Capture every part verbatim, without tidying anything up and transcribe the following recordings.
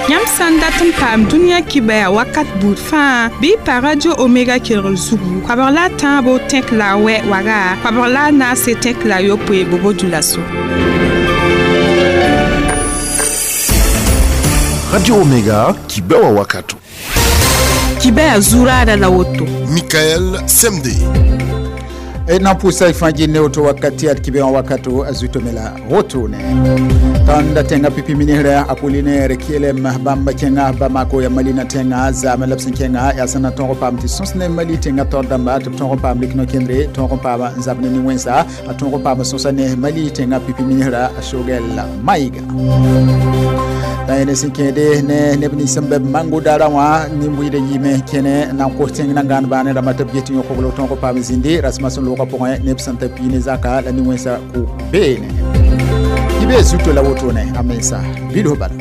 Yãmb sã n dat n paam dũniyã kibɛa wakat buud fãa bɩ y pa Radio Omega kelgr zugu koabg la a tãabo tẽk la a wɛ waga koabg la a naase tẽk la a yopoe bobo dioulasso. Radio Omega kibɛa wakato. Kibɛa zuraada la woto. Michael Semde. E na pusa ifanji ne oto wakati at kibe wakato azutomela rotone tanda tenga pipi minihra Apollinaire Kyelem bamba kenga Bamako ya Mali na tenga zama lapsin kenga ya sana tongo pam ti sonsne Mali tenga tordamba to tongo pam likno kendre tongo pam zabne ni wensa a tongo pam sonsane Mali tenga pipi minihra Shogel Maiga tayene sinkede ne nebni sembe mangu dara wa nimbuide yime kene na ko tenga ngan bane ramata bieti nyoko tongo pam zindi rasmason lo pɔgẽ neb sẽn ta pii ne zaka la nin-wẽnsa kʋ beene tɩ bee zuto la wotone a mensa bilf bala.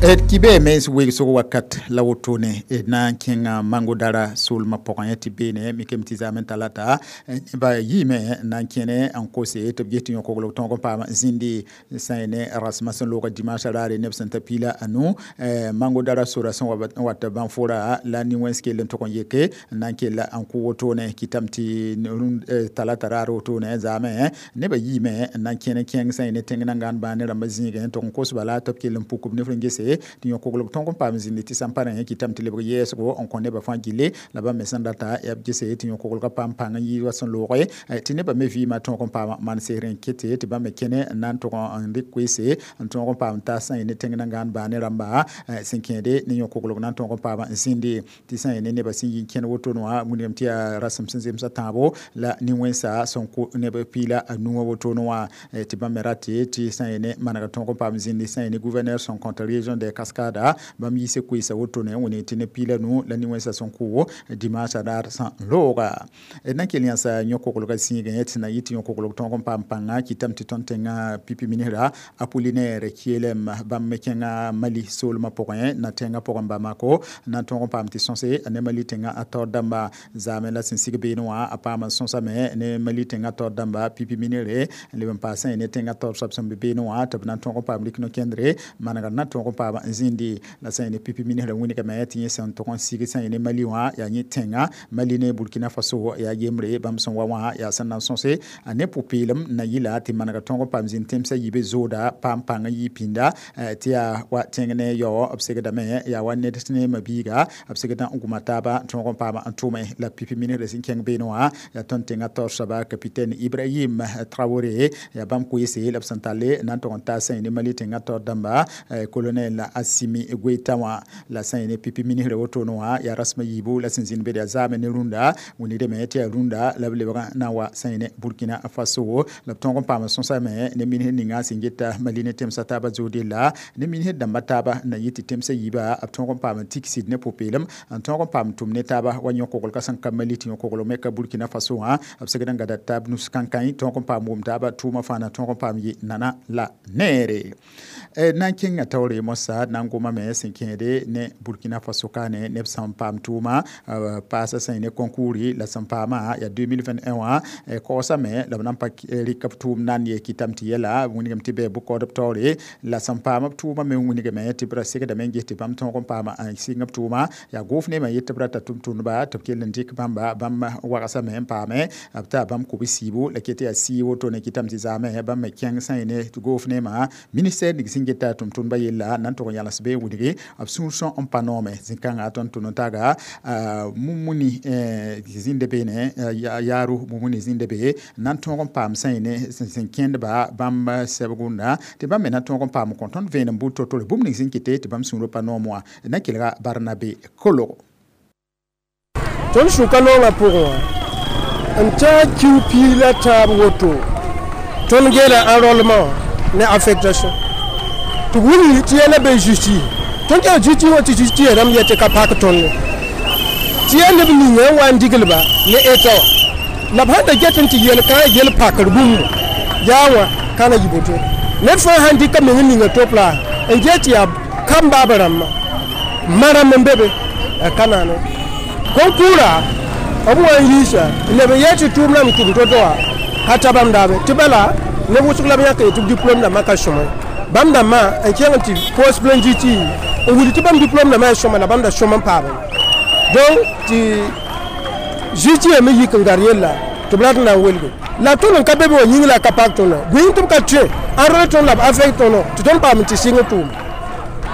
D kibe mens wegsg wakat la wotone d na n kẽnga mango dara soolmã pʋgẽ tɩ beene mikame tɩ zaamẽ talata neba yiime na n kẽne n kose tɩ b ges tɩ yõkogl tõog n paam zĩndi sã n ne rasmã sẽn looga dimanche raare neb sẽn ta piila a nu mango dara sora sẽn wa n wat bãnfora la nin-wẽns kell n tʋg n yeke n na n kella n kʋ wotone kɩtame tɩ talata raar wotone zaamẽ nebã yiime n na n kẽne kẽng sã n ne tẽng nangaan bãa ne rãmbã zĩigẽ n tʋg n kos bala tɩ b kell n puk b nef n gese tɩ yõkogl tõog n paam zĩndi tɩ sãn pa rẽ kɩtame tɩ lebg yɛɛsgo n kõ nebã fãa gille la bãmb me sẽn data yaa b gese tɩ yõkoglgã paam pãng n yɩ wa sẽn looge tɩ nebã me vɩɩmã tõog n paam maan-seesr n kete tɩ bãmb me kẽne n na n tʋg n rɩk koeese n tõog n paam ta sã n ne tẽng nangaan baa ne rãmba sẽn kẽede ne yõkoglg na n tõog n paam n zĩndi tɩ sã n ne nebã sẽn yi n kẽn wotone wã wilgame tɩ yaa rasem sẽn zemsa tãabo la nin-wẽnsa sẽn kʋ neb piila a nuwã wotone wã tɩ bãmb me rate tɩ sã n ne manega tõog n paam zĩndi sã n ne gouverneur sẽn kõt région de Cascada bãmb yiise koeesa wotone n wẽneg tɩ ne piila nu la nin-wẽnsã sẽn kʋ dimanche raar sã n looga d na n kell yãsa yõkoglgã zĩigẽ tɩ na yɩ tɩ yõkoglg tõog n paam pãnga kɩtame tɩ tõnd tẽngã pipi minisra Apollinaire Kyelem bãmb me kẽnga Mali soolmã pʋgẽ na tẽngã pʋgẽ Bamako na n tõog n paam tɩ sõse ne Mali tẽngã a taoor dãmba zaamẽ la sẽn sig beene wã a paam n sõsame ne Mali tẽngã taoor dãmba pipi minire n leb n paasẽ ne tẽngã taoor soab sẽn be beene wã tɩ b na n tõog n paam rɩk no-kẽndre manegr na tõog n paam n zĩndi la sã n ne pipi minisrã wĩnigame tɩ yẽ sẽn tʋg n sig sã n ne Mali wã yaa yẽ tẽnga Mali ne Burkina Faso yaa yembre bãmb sẽn wa wã yaa sẽn na n sõse a ne pʋ-peelem na yɩla tɩ manega tõog n paam zĩnd tẽmsã yibe zooda paam pãng n yɩ pĩnda tɩ yaa wa tẽng ne yao b segdame yaa wa ned ne mabiiga b segdã n gũma taaba tõog n paam n tʋme la pipi minisrã sẽn kẽng beene wã yaa tõnd tẽngã taoor soaba capitaine Ibrahim Traoré yaa bãmb koeese la b sẽn talle na n tʋg n taas sã n ne Mali tẽngã taoor dãmba colonel Assimi Goïta wã la sã n ne pipi minisrã wotone wã yaa rasmã yiibu la sẽn zĩnd be yaa zaame ne rũndã wĩnigdame tɩ yaa rũndã la b lebg na n wa sã n ne Burkina Faso la b tõog n paam sõsame ne minisr ninga sẽn geta Mali ne tẽmsã taabã zood yella ne minisr dãmbã taaba na yɩ tɩ tẽmsã yiiba b tõog n paam n tiksid ne pʋ-peelem n tõog n paam tʋm ne taaba wa yõkoglgã sẽn ka Mali tɩ yõkogl me ka Burkina Faso wã b segd n gada taab nus kãnkãe tõog n paam wʋm taaba tʋʋmã fãa na tõog n paam yɩ nana la neere na n kẽnga taoore moasã na n gomame sẽn kẽede ne Burkina Faso kaane neb sẽn paam tʋʋma paasa sã n ne concours la sẽn paamã yaa deux mille vingt-et-un wã kaoosame la b na n pa rɩk b tʋʋm na n yee kɩtame tɩ yɛla wĩnigame tɩ bɩ bʋ-kaoodb taoore la sẽn paam b tʋʋmã me wĩnigame tɩ b ra segdame n ges tɩ bãmb tõog n paama n sɩng b tʋʋma yaa gʋʋf nemã yet tɩ b rata tʋm-tʋmdba tɩ b kell n dɩk bãmba bãmb wagsame n paame b taa bãmb kʋb-siibo la ket yaa sii wotone kɩtame tɩ zaamẽ bãmb me kẽng sã n ne gʋʋf nemã ministère ning sẽn geta tʋm-tʋmdbã yella na n tʋg n yãles bee wĩnigi b sũur sõm n pa noome zĩ-kãngã tõnd tʋ no-taaga Mumuni zĩnda beene yaaru Mumuni zĩnda be na n tõog n paam sã n ne sẽn kẽndba bãmb sɛbgũnda tɩ bãmb me na tõog n paam n kõ tõnd vẽenem buud to-tore bũmb ning sẽn kɩte tɩ bãmb sũurã pa noom wã na kelga Barnabe Kologo. Tõnd sʋka noongã pʋgẽ wã n taa kiu piig la tãab woto tõnd geela enrôlement ne affectation tɩ b wilg tɩ yɛla be justice tõnd kẽng justice wã tɩ justice rãmb yɛ tɩ ka pak tõnd ye tɩ yaa neb ninga n wa n diglba ne eta wã la b sãn da get n tɩ yel kãngã yel pakr bũmb yaa wã ka na yɩ boto ned fãa sãn dɩka meng ninga top la n get tɩ yaa kam baab rãmbã ma rãmb n be be a ka naane concours b wa n yiisa n leb n yɛ tɩ tʋʋm rãmb tʋm to-to wã Ka ta bãmb daabe tɩ bala neb wʋsg la b yãk tɩ b diplôme dãmbã ka sõma bãmb dãmbã n kẽng tɩ post plein G T n wilg tɩ bãmb diplôme dãmbã yaa sõma la bãmb da sõm n paame. Donc tɩ G T me yik n gar yella tɩ b rat n na n welge la tõnd n ka be be wã yĩng la a ka pak tõndã bõe tɩ b ka tõe enrôle tõnd la b affecte tõndo tɩ tõnd paam tɩ sɩng tʋʋm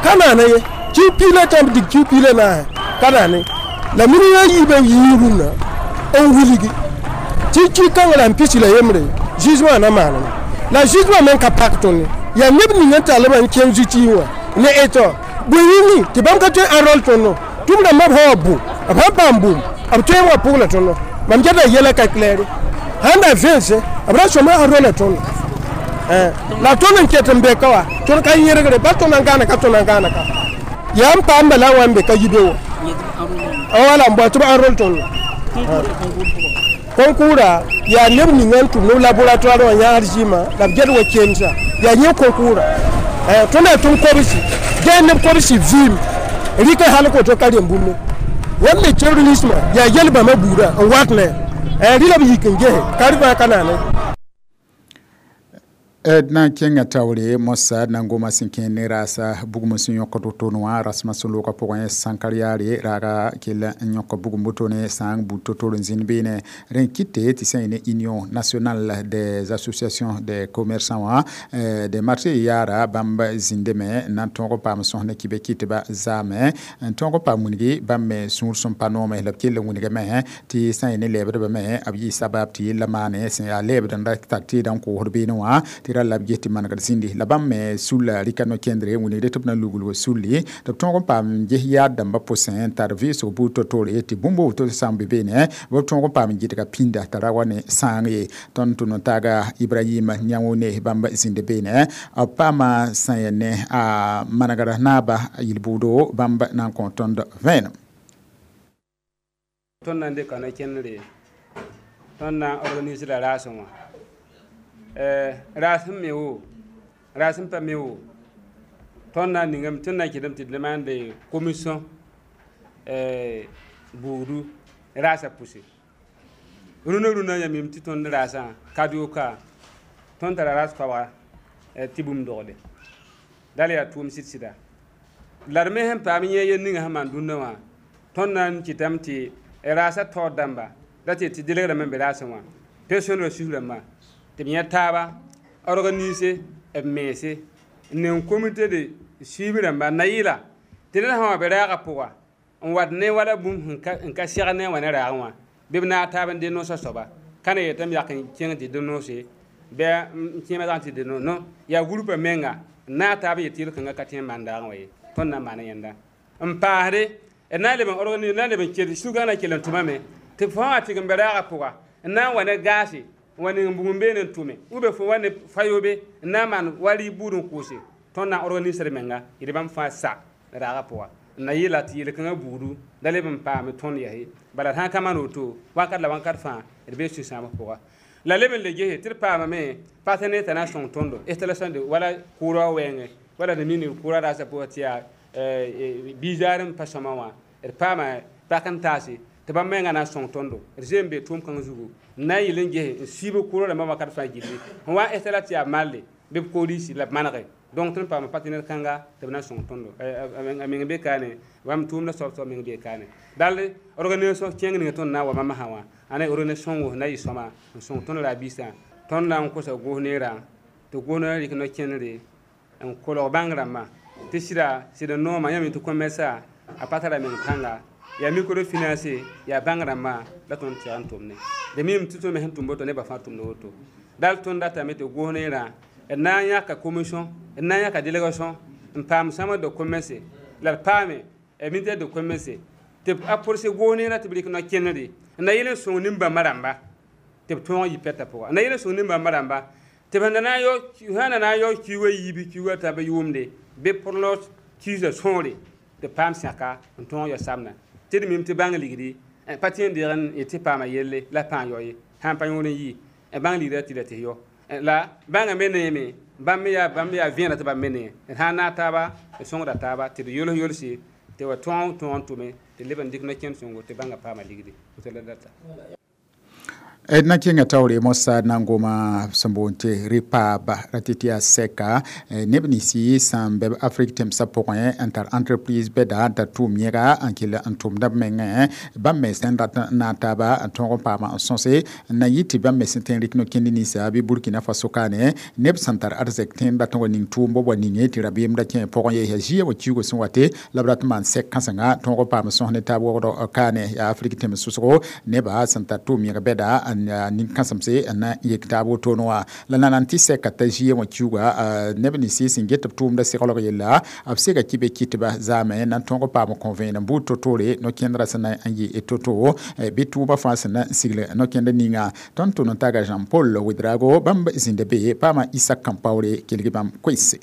ka naana ye kiu piig la tãmb dig kiu piig la naase ka naane la mini a yiibã yii rũnnã n wilgi tɩ ki kãngã la n pisi la yembre jugement na maaneme la jugement me ka pak tõnd yaa neb ning n tall n kẽng zuti wã ne eto bõe yĩngi tɩ bãmb ka tõe enrôle tõndo tɩ b rãmbã b sã wa bʋ b sãn paam bũmb b tõe n wa pʋgla tõndo mam geta yɛla ka claire sãn da vẽnse b ra sõma enrôle tõndo la tõnd n ket n be ka wa tõnd ka yẽrgre ba tõnd n gãana ka tõnd n gãana ka yaa n paam bala n wa n be ka yi be wa wala n bao tɩ b enrôle tõndo concours yaa neb ning n tʋm neb laboratoire wã yãasd zĩma la b ged wa kemsa yaa yẽ concours tõnd yaa tʋm kobsi gɛɛ neb kobsi vɩɩm rɩka hal koto ka rem bũmb wãmb me terrorisme yaa yel bãmba buudã n wat ne rɩ la b yik n gese ka rɩ ka naane. D na n kẽnga taoore mosa d na n goma sẽn kẽ ne raasa bugum sẽn yõkd wotone wã rasmã sẽn loogã pʋgẽ sãnkar yaare raaga kell n yõk bugum wotone sã n bud to-to n zĩnd beene rẽ kɩte tɩ sã ne Union nationale des associations des commerçants wã des marchés yaara bãmb zĩndame n na n tõog n paam sõs ne kɩbe kɩtba zaame n tõog n paam wilgi bãmb me sũur sẽn pa noome la b kell n wilgame tɩ sã n ne lɛɛbdbame b yɩ sabab tɩ yella maane sẽn yaa lɛɛbd n ra tar tɩɩdã n koosd beene wã tɩ ra la b ges tɩ manegd zĩndi la bãmb me sulla rɩka no-kẽndre wilgde tɩ b na luglg sulli tɩ b tõog n paam ges yaad dãmbã pʋsẽ n tar vɩɩsg buud to-toore tɩ bũmb woto sã n be beene b tõog n paam n gɩdga pĩnda t'a ra wa ne sãang ye. Tõnd tʋ no-taaga Ibrahim Yãwone bãmb zĩnd beene b paama sã yaa ne a manegra naaba yel-buudo bãmb na n kõ tõnd vẽenem. Tõnd na n dɩka no-kẽndre tõnd na n organise la raasẽ wã raas sẽn me wo raas sẽn pa me wo tõnd na n ningame tõnd na n kɩtame tɩ d maande commission buudu raasã pʋse rũnã rũnã yãmb tɩ tõnd raasã kadoka tõnd tara raas koabga tɩ bũmb dogde dal yaa tʋʋm sɩd-sɩda la d me sẽn paam yẽ yel ninga sẽn maan dũnna wã tõnd na n kɩtame tɩ raasã taoor dãmba la tɩ tɩ delegdame n be raasẽ wã pension ra sus rãmbã tɩ b yẽ taaba organise b mense n ning comité de suivi rãmba na yɩla tɩ ned sã wa be raagã pʋga n wat ne wala bũmb n ka sɛg ne wã ne raagẽ wã bɩ b naag taab n denoosã soaba ka na yetame yak n kẽng tɩ denoose bɩ n kẽema zag tɩ denoos non yaa groupa menga n naag taab n yet tɩ yel-kãngã ka tõe n maan daagẽ wã ye tõnd na n maana yẽnda n paasde d na n leb n organise na n leb n kel sugã na kell n tʋmame tɩ fãa wã tɩg n be raagã pʋga n na n wa ne gaase n wa ning bugum beene n tʋme ou bien fo wa ne fayobe n na n maan wa rɩ buud n kʋʋse tõnd na n organiser menga yɩl bãmb fãa sa raagã pʋga n na yɩla tɩ yel-kãngã buudu da leb n paame tõnd yɛse bala sã n ka maan woto wakat la wãnkat fãa d bee sũ-sãamb pʋga la leb n le gese tɩ d paamame partenaire t'a na n sõng tõndo installation de wala kʋʋrã wɛɛngẽ wala d mini kʋʋrã raasã pʋgã tɩ yaa biizaar n pa sõma wã d paama pak n taase tɩ bãmb mengã na n sõng tõndo d zoe n be tʋʋm kãng zugu n na n yɩl n gese n siib kʋʋrã rãmbã wakat fãa gilli n wa n installa tɩ yaa malle bɩ b koorisi la b manege. Donc tõnd paama partenaire kãnga tɩ b na n sõng tõndo a meng be kaane bãmb tʋʋmda soab soab meng be kaane dal organisation kẽng ninga tõnd na n wa mamasã wã ãna organisation wos na yɩ sõma n sõng tõnd ra-biisã tõnd na n kosa gos neerã tɩ gos na rɩk no-kẽndre n kolg bãng rãmbã tɩ sɩda sɩd n nooma yãmb tɩ commerça a pa tara meng pãnga yaa microfinance yaa bãng rãmbã la tõnd tɛg n tʋmne d mim tɩ tõnd me sẽn tʋm woto nebã fãa tʋmda woto dal tõnd datame tɩ gos neerã d na n yãka commission d na n yãka délégation n paam chambre de commerce la d paame ministère de commerce tɩ a pʋrse gos neerã tɩ b rɩk no-kẽndre n na yɩl n sõng nin-bãmba rãmba tɩ b tõog n yɩ pɛtã pʋga n na yɩl n sõng nin-bãmba rãmba tɩ b sẽn na na n yao kiuugã yiibi kiuugã t'a yʋʋmde bɩ pʋrlg kiisã sõore tɩ paam sẽka n tõog ya samna tɩ d mim tɩ bãng ligdi pa tẽ n deeg n tɩ paama yelle la pãa yao ye sãn pa yõor n yɩ bãng ligdã tɩ la tɩ yao la bãngã me neeme bãmb me yaa bãmb yaa vẽeneg tɩ bãmb me nee d sã n naag taaba d sõngda taaba tɩ d yols yolse tɩ wa tõog tõog n tʋme tɩ leb n dɩk no-kẽnd sõngo tɩ bãngã paama ligdi woto la data. D na kẽnga taoore moasã na n goma sẽn boond tɩ rɩpaaba ra tɩ tɩ yaa sɛka neb ninsi sẽn be b afrik tẽmsã pʋgẽ n tar entreprise bɛda n tar tʋʋm yẽga n kell n tʋmda b mengẽ bãmb me sẽn rat n naag taaba n tõog n paama n sõse n na yɩ tɩ bãmb me sẽn tõe n rɩk no-kẽnd ninsa bɩ Burkina Faso kaane neb sẽn tar arzɛk tẽn rat n wa ning tʋʋm b wa ninge tɩ rabeem ra kẽ pʋgẽ ye yaa zĩiga wa kiugo sẽn wate la b rat n maan sɛk kãsenga tõog n paam sõs ne taab wogdɔ kaane yaa afrik tẽms sʋsgo nebã sẽn tar tʋʋm yẽg bɛda nin-kãsemse n na yek taab wotone wã la na n tɩ sɛka t'a zĩiga wã kiuga neb ninsi sẽn get b tʋʋmda seglg yella b sega kɩ be kɩtba zaame na n tõog n paam kõ-vẽenem buud to-toore no-kẽndrã sẽn na n yɩ to-to bɩ tʋʋma fãa sẽn na n sigl no-kẽnd ninga tõnd tʋm n taga Jean Paul Ouedraogo bãmb zĩnda be paama Isak Kãmpaoore kelg bãmb koɛɛse.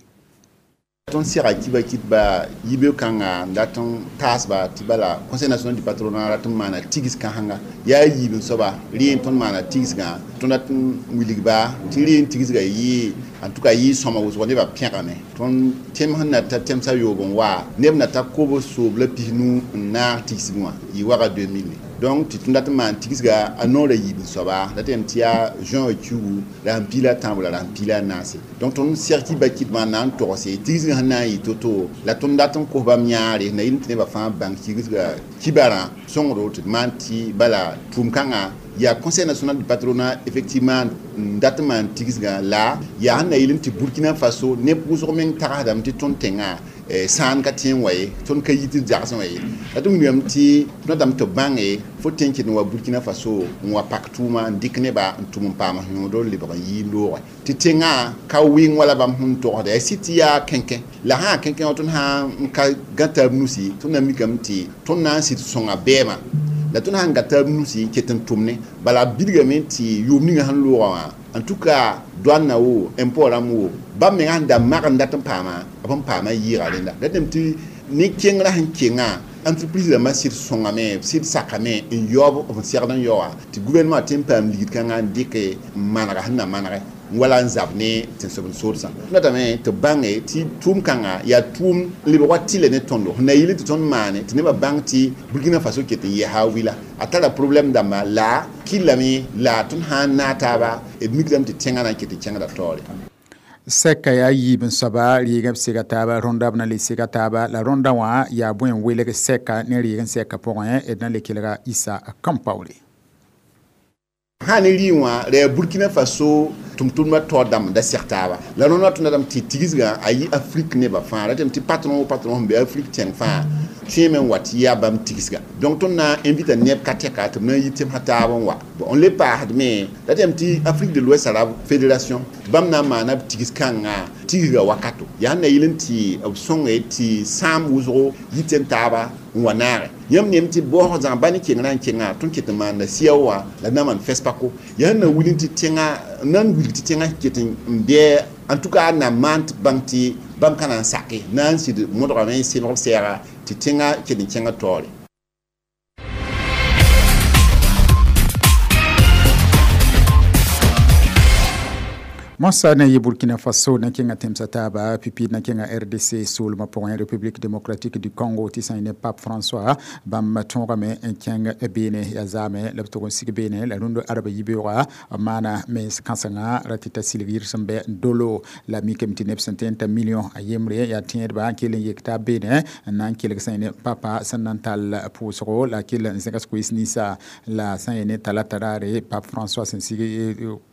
Tõnd sega kiba kɩtba yibe-kãnga n dat n taasba tɩ bala Conseil national du patronat rat n maana tigs kãsenga yaa yiib n soaba rẽ tõnd maana tigsgã tõnd dat n wilgba tɩ rẽ tigsga yɩ en tout cas yɩ sõma wʋsgo nebã pẽgame tõnd tẽm sẽn na ta tẽmsã yoob n wa neb na ta kobs soob la pisnu n naag tigsg wã yɩ waga deux mille donc tɩ tõnd dat n maan tigsga a noorã yiib n soaba la tɩ tɩ yaa juin kiugu la sẽn piila a tãabo la sẽn piila a naase donc tõnd seg kiba kɩtbã na n togse tigsgã sẽn na n yɩ to-to la tõnd dat n kos bãmb yãare na yɩl tɩ nebã fãa bãng tigsga kibarã sõngdo tɩ d maan tɩ bala tʋʋm-kãngã yaa Conseil national du patronat effectivement n dat n maan tigsgã la yaa sẽn na yɩl tɩ Burkina Faso neb wʋsg meng tagsdame tɩ tõnd tẽngã sãan ka tẽ n wa ye tõnd ka yit d zagsẽ wã ye la tɩ wilgame tɩ tõnd tɩ bãnge fo tẽn ket n wa Burkina Faso n wa pak tʋʋma n dɩk nebã n tʋm n paam yõodr lebg n yɩ loogɛ tɩ tẽngã ka wɩng wala bãmb sẽn togsda yaa sɩd tɩ yaa kẽnkẽ la sã yaa kẽnkẽ wã tõnd sã n ka gã taab nusi tõnd na mikame tɩ tõnd na n sɩd sõnga bɛɛmã la tõnd sãn ga taab nusi n ket n tʋmne bala b bilgame tɩ yʋʋm ninga sẽn loogã wã en tout cas douane na wo impôt rãmb wo bãmb menga sẽn da mag n dat n paama b sẽn paama yɩɩga rẽnda la tɩ tɩ ne kengrã sẽn kenga entreprise rãmbã sɩd sõngame sɩd sakame n yaoob b segd n yaoa tɩ gouvernement tɩ n paam ligd kãngã n dɩke n manega sẽn na manege wala n zab ne tẽn-soab-n-soodsã datame tɩ bãnge tɩ tʋʋm-kãngã yaa tʋʋm n lebg wa tɩlɛ ne tõndo sẽn na yɩl tɩ tõnd maane tɩ nebã bãng tɩ Burkina Faso ket n yɛsa a wila a tara problème dãmba la kɩllame la tõnd sã n naag taaba d mikdame tɩ tẽngã na n ket n kẽngda taoore. Sɛka yaa yiib n soaba rɩɩg b sega taaba rõnda b na le sega taaba la rõndã wã yaa bõe n welg sɛka ne rɩɩg n sɛka pʋgẽ d na le kelga Issa Kãmpaoore. Sã ne rɩɩ wã ra yaa Burkina Faso tʋm-tʋmdbã taoor dãmb da seg taaba la rõndã tõnd datame tɩ tigsgã a yɩ Afrique nebã fãa ratame tɩ patron patron sẽn be Afrique tẽng fãa tõeme n wa tɩ yaa bãmb tigsga donc tõnd na n invita neb ka tɛka tɩ b na n yɩ tẽmsã taab n wa n le paasdme ratame tɩ Afrique de l'Ouest Arabe Fédération tɩ bãmb na n maana b tigs-kãngã tigsga wakato yaa sẽn na yɩl n tɩ b sõnge tɩ sãam wʋsgo yɩ tẽn taaba n wa naage yãmb neem tɩ baoosg zãg ba ne kengrã n kenga tõnd ket n maanda sia wã la na maan FESPACO yaa sẽn na wil tɩ tẽngã na n wilg tɩ tẽngã ket n bɩ en tout cas na maan tɩ bãng tɩ bãmb ka na n sake na n sɩd modgame n sɩlg b sɛɛga tɩ tẽngã ket n kẽngã taoore. Moasã na yɩ Burkina Faso na kẽnga tẽmsã taaba pipi na kẽnga R D C soolmã pʋgẽ République démocratique du Congo tɩ sã n ne Pape François bãmb tõogame n kẽng beene yaa zaame la b tʋg n sig beene la rũndã arba yibeoogã b maana mens kãsenga ra tɩ ta silg yir sẽn bɛ dolo la mikame tɩ neb sẽn tõe n ta million a yembre yaa tẽedba n kell n yek taab beene n na n kelg sã n ne papa sẽn na n tall pʋʋsgo la kell n zẽgs koees ninsã la sã n ne talata raare Pape François sẽn sig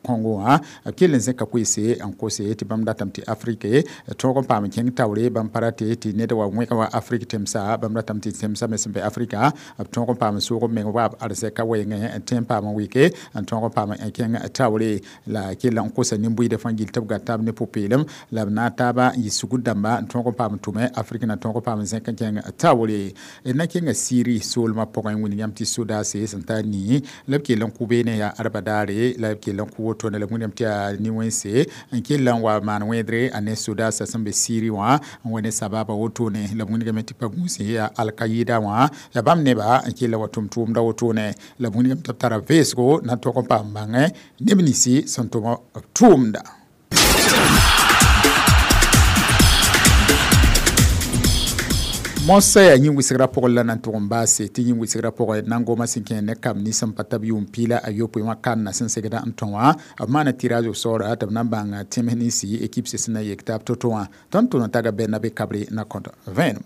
Congo wã b kell n zẽka koeese n kose tɩ bãmb datame tɩ Afrique tõog n paam kẽng taoore bãmb pa rate tɩ ned wa wẽg wa Afrique tẽmsa bãmb ratame tɩ tẽmsã me sẽn be Afrika b tõog n paam soog b meng wa b arzɛka wɛɛngẽ n tõe n paam n wɩke n tõog n paam n kẽng taoore la kell n kosa nin-bʋɩɩdã fãa gill tɩ b gat taab ne pʋ-peelem la b naag taaba n yɩ sugr dãmba n tõog n paam n tʋme Afrique na tõog n paam n zẽk n kẽng taoore d na kẽnga Syrie soolmã pʋgẽ wĩnd yãmb tɩ sodaase sẽn tar nii la b kell n kʋ beene yaa arba daare la b kell n kʋ wotone la b wĩndame tɩ yaa nin-wẽnse n kell n wa maan wẽedre a ne sodaasã sẽn be Syrie wã n wa ne sababa wotone la b wĩndgame tɩ pa gũus yaa Al-Qaïda wã yaa bãmb nebã n kell wa tʋm tʋʋmda wotone la b wĩndgame tɩ b tara vẽesgo na tog n paam bãngẽ neb ninsi sẽn tʋm b tʋʋmda. Mosa yaa yĩn wɩsgrã pʋgẽ la na n tʋg n baase tɩ yĩn wɩsgrã pʋgẽ na n goma sẽn kẽ ne kam nins sẽn pa tab yʋʋm piila a yopoe wã kanda sẽn segda n tõ wã b maana tirage au sort tɩ b na n bãng tẽms ninsi équipe sẽn na yek taab to-to wã. Tõnd tʋm n taga Bernabe Kabre na kõt vẽenem.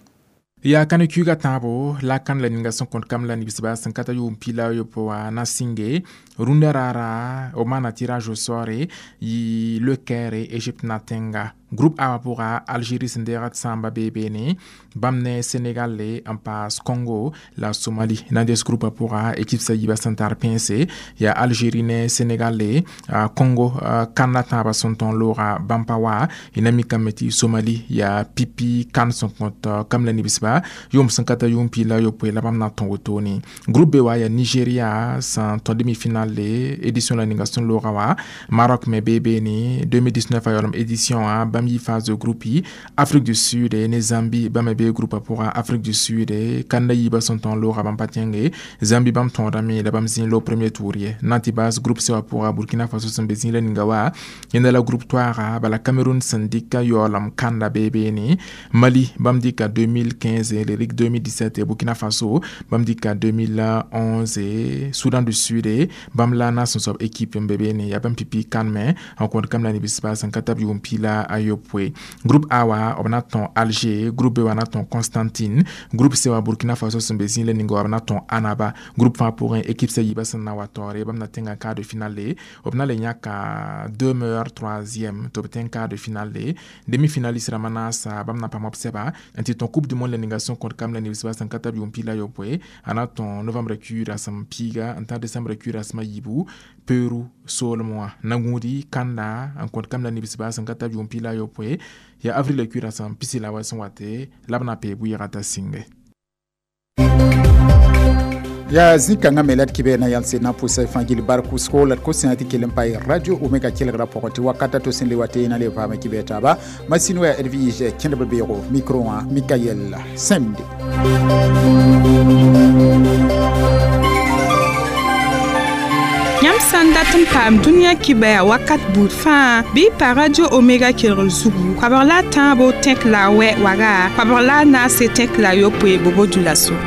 Ya kane kuiga tãabo la kan la ninga sẽn kõt kam la nibsba sẽn ka ta yʋʋm piila yopoe wã na sɩnge rũndã raara b maana tirage au sort yɩ Le Caire, Égypte na tẽnga. Groupe A wã pʋga, Algérie sẽn deegd sãamba bee beene, bãmb ne Sénégal n paas Congo la Somalie na n des. Groupe pʋga, équipe sa yiibã sẽn tar pẽnse yaa Algérie ne Sénégal. Congo kanda tãabã sẽn tõn looga bãmb pa wa. Y na mikame tɩ Somalie yaa pipi kan sẽn kõt kam la nibsba yʋʋm sẽn ka ta yʋʋm piila yopoe la bãmb na n tõ wotone. Groupe B wa yaa Nigeria sẽn tõ demi-finale édition la ninga sẽn looga wa. Maroc me bee beene, deux mille dix-neuf a yaoolem édition wã, bãmb yi phase de groupe. Afrique du Sud ne Zambie, bãmb me bee groupe pʋga. Afrique du Sud kanda yiibã sẽn tõn looga bãmb pa tẽnge. Zambie bãmb tõodame la bãmb zĩ lo premier tour ye. Na n tɩ baas groupe C wã pʋga, Burkina Faso sẽn be zĩ la ninga wa. Yẽnda la groupe toaaga bala Cameroun sẽn dɩka yaoolem kanda bee beene. Mali bãmb dɩka deux mille quinze, le rik deux mille dix-sept. Burkina Faso bãmb dɩka deux mille onze. Soudan du Sud bãmb la na sẽn soab équipe n be beene yaa bãmb pipi kan me n kõt kam la nibsba sẽn ka tab yʋʋm piila a yopoe. Groupe A wa, b na tõn Alger. Groupe B wa na tõn Constantine. Groupe C wa, Burkina Faso sẽn be zĩ la ninga wa, b na tõn Annaba. Groupe fãa pʋgẽ, équipe sa yiibã sẽn na wa taoore, bãmb na tẽnga quart de finale. B na le yãka deux meilleurs troisième tɩ b tẽng quart de finale. Demi-finaliste rãmbã naasa, bãmb na paam b sɛba n tɩ tõn Coupe du monde la ninga sẽn kõt kam la nibsba sẽn ka tab yʋʋm piila yopoe. A na tõn novembre kuiir rasem piiga n tã décembre kuiir rasem a yiibu Peru soolem wã. Na gũudi kanda n kõt kam la nibsba sẽn ka tab yʋʋm piila yopoe yaa avril kuiir rasem pisi la wa sẽn wate la b na pee bʋɩɩga t'a sĩnge. Yaa zĩ-kãngã me la d kɩbɛ na yãlse na pʋsa fãa gil bark wʋsgo la d kosẽa tɩ kell n pa Radio Omega kelgrã pʋgẽ tɩ wakata to sẽn le wa tɩ na le vaame kɩbɛ taaba. Masin wa Edwige kẽndb beoogo, micro wã Mikael Sẽmde. Yãmb sã n dat n paam dũniyã kibɛa wakat buud fãa, bɩ y pa Radio Omega kelgr zugu koabg la a tãabo tẽk la a wɛ waga, koabg la a naase tẽk la a yopoe bobo dulaso.